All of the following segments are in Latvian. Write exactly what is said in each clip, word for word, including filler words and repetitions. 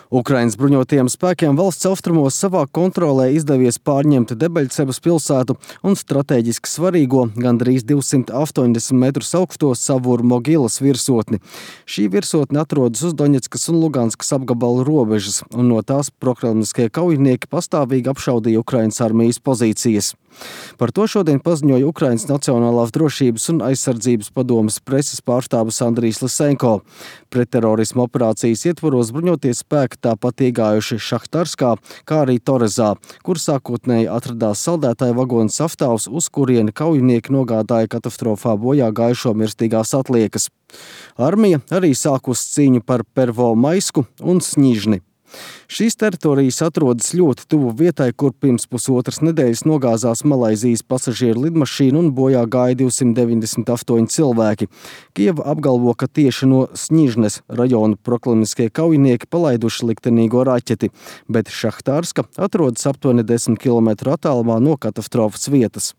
Ukrainas bruņotajiem spēkiem valsts austrumos savā kontrolē izdevies pārņemt Debeļcevas pilsētu un strateģiski svarīgo, gandrīz divsimt astoņdesmit metrus augsto Savur Mogilas virsotni. Šī virsotne atrodas uz Doņetskas un Luganskas apgabalu robežas, un no tās prokremliskie kaujinieki pastāvīgi apšaudīja Ukrainas armijas pozīcijas. Par to šodien paziņoja Ukrainas Nacionālās drošības un aizsardzības padomes preses pārstāvis Andrijs Lisenko. Pretterorisma operācijas ietvaros bruņotie spēki tāpat iegājuši Šahtarskā, kā arī Torezā, kur sākotnēji atradās saldētāju vagonu sastāvs, uz kurieni kaujinieki nogādāja katastrofā bojā gājušo mirstīgās atliekas. Armija arī sākus cīņu par Pervomaisku un Sņižni. Šīs teritorijas atrodas ļoti tuvu vietai, kur pirms pusotras nedēļas nogāzās Malaizijas pasažieru lidmašīna un bojā gāja divsimt deviņdesmit astoņi cilvēki. Kijeva apgalvo, ka tieši no Sņižnes rajona proklamiskie kaujinieki palaiduši liktenīgo raķeti, bet Šahtarska atrodas aptuveni desmit kilometru attālumā no katastrofas vietas.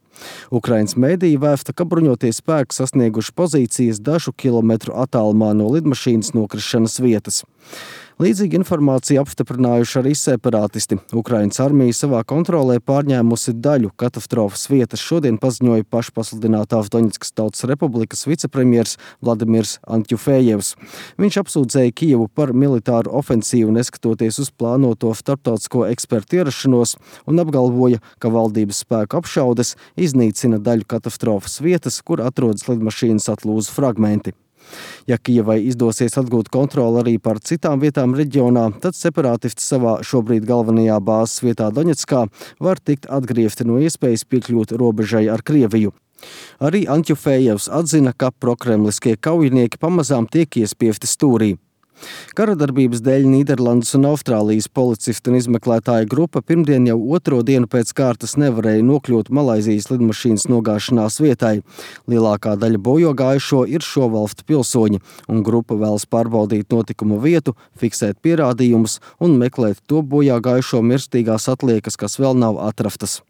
Ukrainas mēdīji vēsta, ka bruņotie spēki sasnieguši pozīcijas dažu kilometru attālumā no lidmašīnas nokrišanas vietas. Līdzīgu informāciju apstiprinājuši arī separātisti. Ukrainas armija savā kontrolē pārņēmusi daļu katastrofas vietas, šodien paziņoja pašpasludinātās Doņetskas Tautas Republikas vicepremjers Vladimirs Antjufējevs. Viņš apsūdzēja Kijevu par militāru ofensīvu, neskatoties uz plānoto starptautisko ekspertu ierašanos, un apgalvoja, ka valdības spēku apšaudes iznīcina daļu katastrofas vietas, kur atrodas lidmašīnas atlūzu fragmenti. Ja Kijevai izdosies atgūt kontroli arī par citām vietām reģionā, tad separātisti savā šobrīd galvenajā bāzes vietā Doņetskā var tikt atgriezti no iespējas piekļūt robežai ar Krieviju. Arī Antjufējevs atzina, ka prokremliskie kaujinieki pamazām tiek iespiesti stūrī. Karadarbības dēļ Nīderlandes un Austrālijas policistu un izmeklētāju grupa pirmdien jau otro dienu pēc kārtas nevarēja nokļūt Malaizijas lidmašīnas nogāšanās vietai. Lielākā daļa bojogājušo ir šo valstu pilsoņi, un grupa vēlas pārbaudīt notikumu vietu, fiksēt pierādījumus un meklēt to bojogājušo mirstīgās atliekas, kas vēl nav atrastas.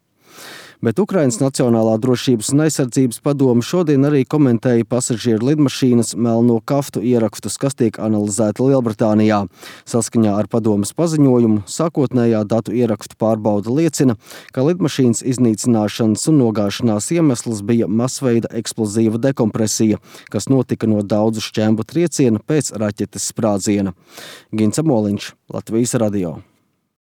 Bet Ukrainas Nacionālā drošības un aizsardzības padome šodien arī komentēja pasažieru lidmašīnas melno kaftu ierakstus, kas tiek analizēti Lielbritānijā. Saskaņā ar padomes paziņojumu sākotnējā datu ierakstu pārbaude liecina, ka lidmašīnas iznīcināšanas un nogāšanās iemesls bija masveida eksplozīva dekompresija, kas notika no daudzu šķembu trieciena pēc raķetes sprādziena. Gins Amoliņš, Latvijas radio.